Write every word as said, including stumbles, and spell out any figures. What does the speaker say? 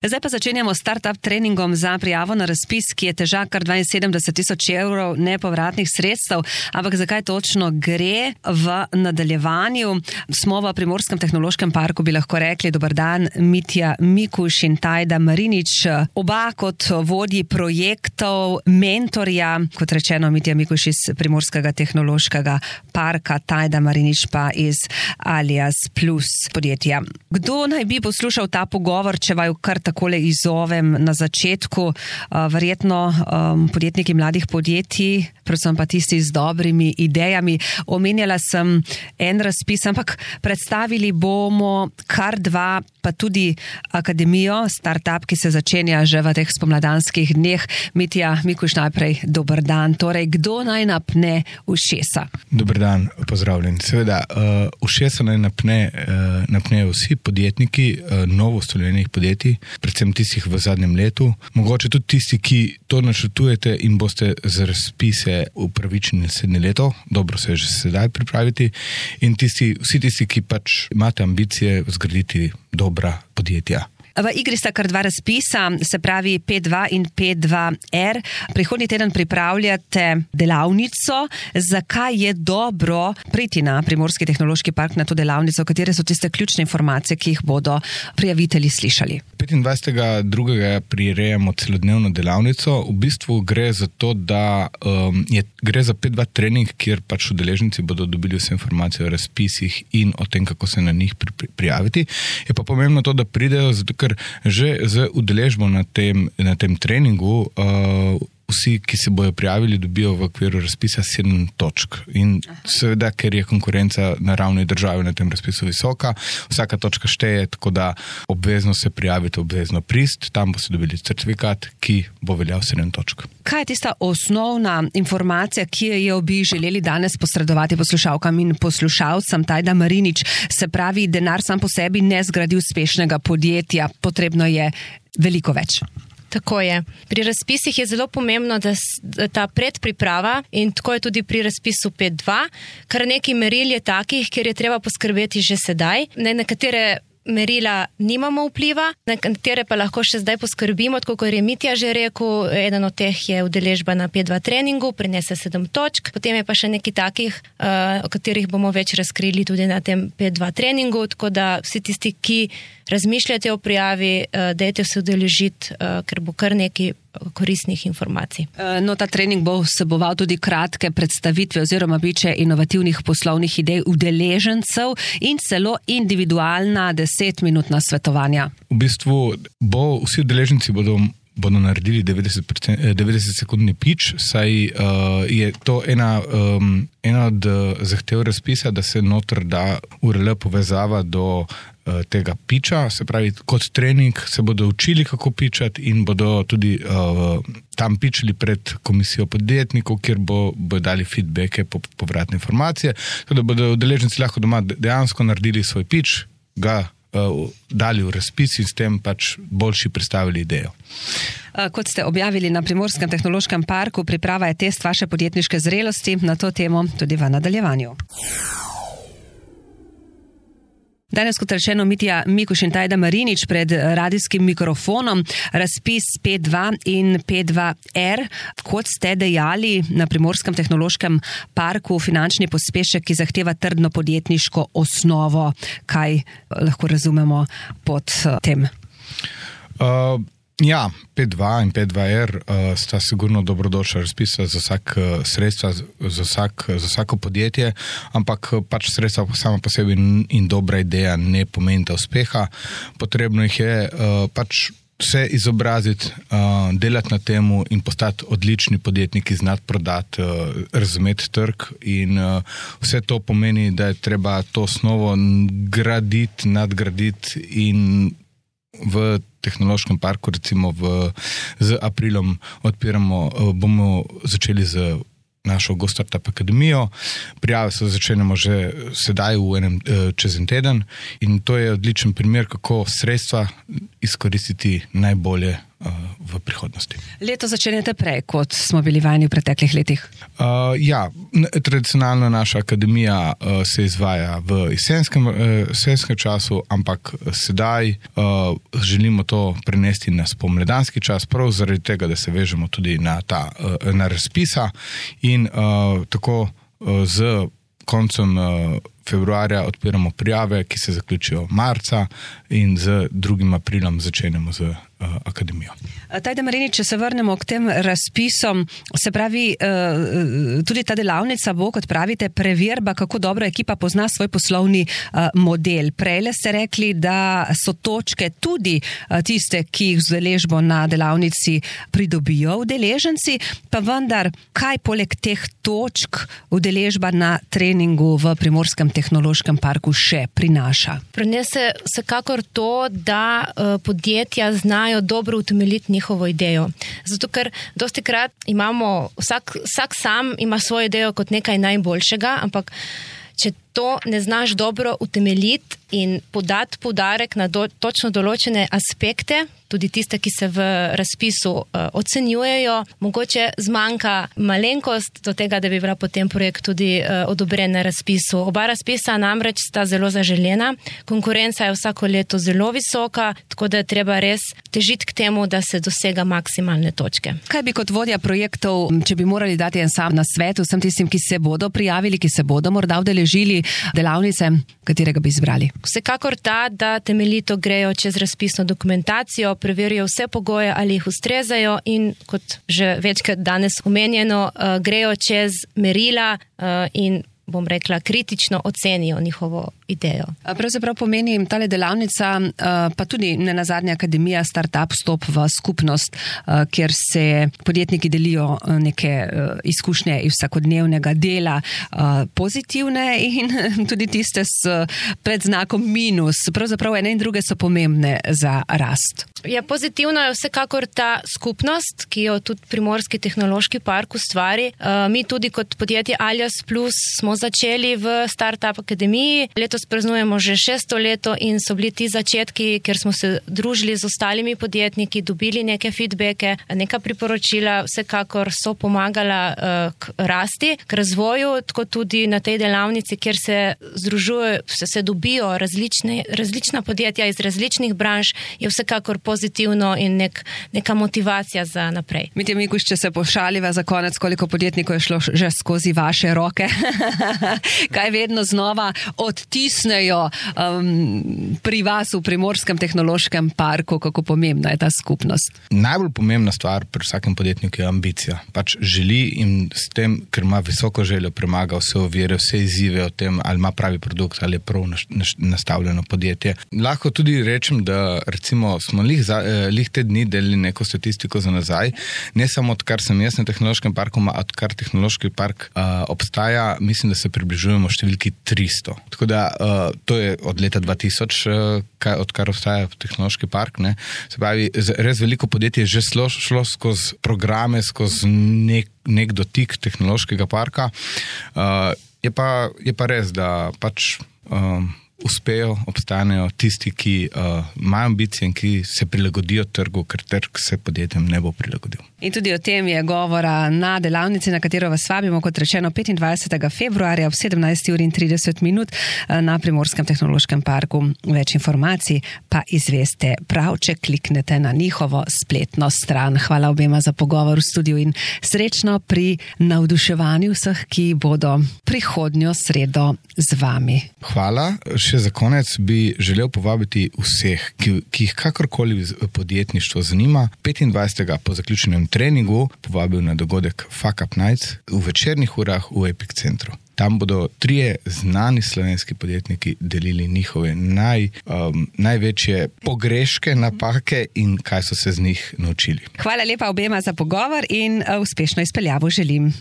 Zdaj pa začenjamo startup treningom za prijavo na razpis, ki je težak kar dvainsedemdeset tisoč evrov nepovratnih sredstev. Ampak zakaj točno gre v nadaljevanju? Smo v Primorskem tehnološkem parku, bi lahko rekli. Dober dan, Mitja Mikuš in Tajda Marinič. Oba kot vodji projektov, mentorja, kot rečeno, Mitja Mikuš iz Primorskega tehnološkega parka, Tajda Marinič pa iz Alias Plus podjetja. Kdo naj bi poslušal ta pogovor, če vaju kar takole izovem na začetku? Verjetno um, podjetniki mladih podjetij, predvsem pa tisti z dobrimi idejami. Omenjala sem en razpis, ampak predstavili bomo kar dva, pa tudi akademijo, startup, ki se začenja že v teh spomladanskih dneh. Mitja Mikuš, najprej dober dan. Torej, kdo naj napne ušesa? Dober dan, pozdravljen. Seveda, uh, ušesa naj napne, uh, napnejo vsi podjetniki uh, novo ustanovljenih podjetij, predvsem tistih v zadnjem letu. Mogoče tudi tisti, ki to načrtujete in boste za razpise upravičeni naslednje leto, dobro se je že sedaj pripraviti, in tisti, vsi tisti, ki pač imate ambicije zgraditi dobra podjetja. V igri sta kar dva razpisa, se pravi P dva in P dva R. Prihodnji teden pripravljate delavnico. Zakaj je dobro priti na Primorski tehnološki park na to delavnico? Katere so tiste ključne informacije, ki jih bodo prijavitelji slišali? petindvajsetega drugega prirejamo celodnevno delavnico. V bistvu gre za to, da um, je, gre za P dva trening, kjer pač udeleženci bodo dobili vse informacije o razpisih in o tem, kako se na njih pri, pri, prijaviti. Je pa pomembno to, da pridejo, zato ker že z udeležbo na tem, na tem treningu uh, vsi, ki se bojo prijavili, dobijo v okviru razpisa sedem točk. In seveda, ker je konkurenca na ravni države na tem razpisu visoka, vsaka točka šteje, tako da obvezno se prijavite, obvezno prist, tam boste dobili certifikat, ki bo veljal sedem točk. Kaj je tista osnovna informacija, ki jo bi želeli danes posredovati poslušalkam in poslušalcem? Tajda Marinič, se pravi, denar sam po sebi ne zgradi uspešnega podjetja, potrebno je veliko več. Tako je. Pri razpisih je zelo pomembno, da ta predpriprava, in tako je tudi pri razpisu P dva, kar nekaj meril je takih, kjer je treba poskrbeti že sedaj. Na nekatere merila nimamo vpliva, na katere pa lahko še zdaj poskrbimo, tako kot je Mitja že rekel, eden od teh je udeležba na P dva treningu, prinese sedem točk, potem je pa še nekaj takih, uh, o katerih bomo več razkrili tudi na tem P dva treningu, tako da vsi tisti, ki razmišljate o prijavi, uh, dajte se udeležiti, uh, ker bo kar nekaj koristnih informacij. No, ta trening bo vseboval tudi kratke predstavitve oziroma biče inovativnih poslovnih idej udeležencev in celo individualna desetminutna svetovanja. V bistvu bo vsi udeleženci bodo bodo naredili devetdeset sekundni pitch, saj uh, je to ena, um, ena od uh, zahtev razpisa, da se noter da U R L povezava do uh, tega pitcha, se pravi, kot trening se bodo učili, kako pitchati, in bodo tudi uh, tam pitchali pred komisijo podjetnikov, kjer bo, bodo dali feedbacke, po, povratne informacije, tako da bodo udeleženci lahko doma dejansko naredili svoj pitch, ga uh, dali v razpis in s tem pač boljši predstavili idejo. Kot ste objavili na Primorskem tehnološkem parku, priprava je test vaše podjetniške zrelosti, na to temo tudi v nadaljevanju. Danes, kot rečeno, Mitja Mikuš in Tajda Marinič pred radijskim mikrofonom, razpis P dva in P dva R. Kot ste dejali, na Primorskem tehnološkem parku finančni pospešek, ki zahteva trdno podjetniško osnovo. Kaj lahko razumemo pod tem? Uh... Ja, P dva in P dva R uh, sta sigurno dobrodošla razpisa za vsak uh, sredstva, za, vsak, za vsako podjetje, ampak pač sredstva sama po sebi in dobra ideja ne pomenita uspeha. Potrebno jih je uh, pač se izobraziti, uh, delati na temu in postati odlični podjetniki, znati prodati, uh, razumeti trg, in uh, vse to pomeni, da je treba to osnovo graditi, nadgraditi, in v tehnološkem parku, recimo v, z aprilom odpiramo, bomo začeli z našo Go Startup akademijo. Prijave se začenjamo že sedaj v enem, čez en teden, in to je odličen primer, kako sredstva izkoristiti najbolje v prihodnosti. Leto začenjate prej, kot smo bili vajeni v preteklih letih? Uh, ja, tradicionalno naša akademija uh, se izvaja v jesenskem, uh, jesenskem času, ampak sedaj uh, želimo to prenesti na spomladanski čas, prav zaradi tega, da se vežemo tudi na, ta, uh, na razpisa in uh, tako uh, z koncem uh, februarja odpiramo prijave, ki se zaključijo marca in z drugim aprilom začenjamo z uh, akademijo. Tajde Marini, če se vrnemo k tem razpisom, se pravi, uh, tudi ta delavnica bo, kot pravite, preverba, kako dobro ekipa pozna svoj poslovni uh, model. Prejle ste rekli, da so točke tudi uh, tiste, ki jih z udeležbo na delavnici pridobijo udeleženci, pa vendar, kaj poleg teh točk udeležba na treningu v Primorskem tehnološkem parku še prinaša? Prinese vsekakor to, da uh, podjetja znajo dobro utemeljiti njihovo idejo. Zato, ker dosti krat imamo, vsak, vsak sam ima svojo idejo kot nekaj najboljšega, ampak če to ne znaš dobro utemeljiti in podati poudarek na do, točno določene aspekte, tudi tiste, ki se v razpisu uh, ocenjujejo, mogoče zmanjka malenkost do tega, da bi bila potem projekt tudi uh, odobren na razpisu. Oba razpisa namreč sta zelo zaželena, konkurenca je vsako leto zelo visoka, tako da je treba res težiti k temu, da se dosega maksimalne točke. Kaj bi kot vodja projektov, če bi morali dati en sam nasvet vsem tistim, ki se bodo prijavili, ki se bodo morda udeležili delavnice, katerega bi izbrali? Vsekakor ta, da temeljito grejo čez razpisno dokumentacijo, preverijo vse pogoje, ali jih ustrezajo in, kot že večkrat danes omenjeno, uh, grejo čez merila uh, in, bom rekla, kritično ocenijo njihovo idejo. Pravzaprav pomeni tale delavnica, pa tudi nenazadnje akademija Startup vstop v skupnost, kjer se podjetniki delijo neke izkušnje iz vsakodnevnega dela, pozitivne in tudi tiste s predznakom minus. Pravzaprav ene in druge so pomembne za rast. Ja, pozitivno je vsekakor ta skupnost, ki jo tudi Primorski tehnološki park ustvari. Mi tudi kot podjetje Alias Plus smo začeli v Startup akademiji. Letos praznujemo že šesto leto in so bili ti začetki, ker smo se družili z ostalimi podjetniki, dobili neke feedbacke, neka priporočila, vsekakor so pomagala uh, k rasti, k razvoju, tako tudi na tej delavnici, kjer se združujejo, se, se dobijo različne, različna podjetja iz različnih branž, je vsekakor pozitivno in nek, neka motivacija za naprej. Mitja Mikuš, če se pošaliva za konec, koliko podjetnikov je šlo že skozi vaše roke? Kaj vedno znova odtisnejo um, pri vas v Primorskem tehnološkem parku, kako pomembna je ta skupnost? Najbolj pomembna stvar pri vsakem podjetniku je ambicija. Pač želi in s tem, ker ima visoko željo, premaga vse ovire, vse izzive o tem, ali ima pravi produkt, ali je prav nastavljeno podjetje. Lahko tudi rečem, da recimo smo lih, za, lih te dni delili neko statistiko za nazaj, ne samo odkar sem jaz na tehnološkem parku, a odkar tehnološki park uh, obstaja, mislim, da se približujemo številki tristo. Tako da uh, to je od leta dva tisoč, uh, kaj, odkar obstaja tehnološki park. Ne? Se pravi, res veliko podjetje je že šlo, šlo skozi programe, skozi nek, nek dotik tehnološkega parka. Uh, je, pa, je pa res, da pač uh, uspejo, obstanejo tisti, ki uh, imajo ambicije in ki se prilagodijo trgu, ker trg se podjetjem ne bo prilagodil. In tudi o tem je govora na delavnici, na katero vas vabimo, kot rečeno, petindvajsetega februarja ob sedemnajst uri in trideset minut na Primorskem tehnološkem parku. Več informacij pa izveste prav, če kliknete na njihovo spletno stran. Hvala obema za pogovor v studiu in srečno pri navduševanju vseh, ki bodo prihodnjo sredo z vami. Hvala. Še za konec bi želel povabiti vseh, ki, ki jih kakorkoli podjetništvo zanima, petindvajsetega po zaključenem treningu povabil na dogodek Fuck Up Nights v večernih urah v Epic centru. Tam bodo trije znani slovenski podjetniki delili njihove naj, um, največje pogreške, napake in kaj so se z njih naučili. Hvala lepa obema za pogovor in uspešno izpeljavo želim.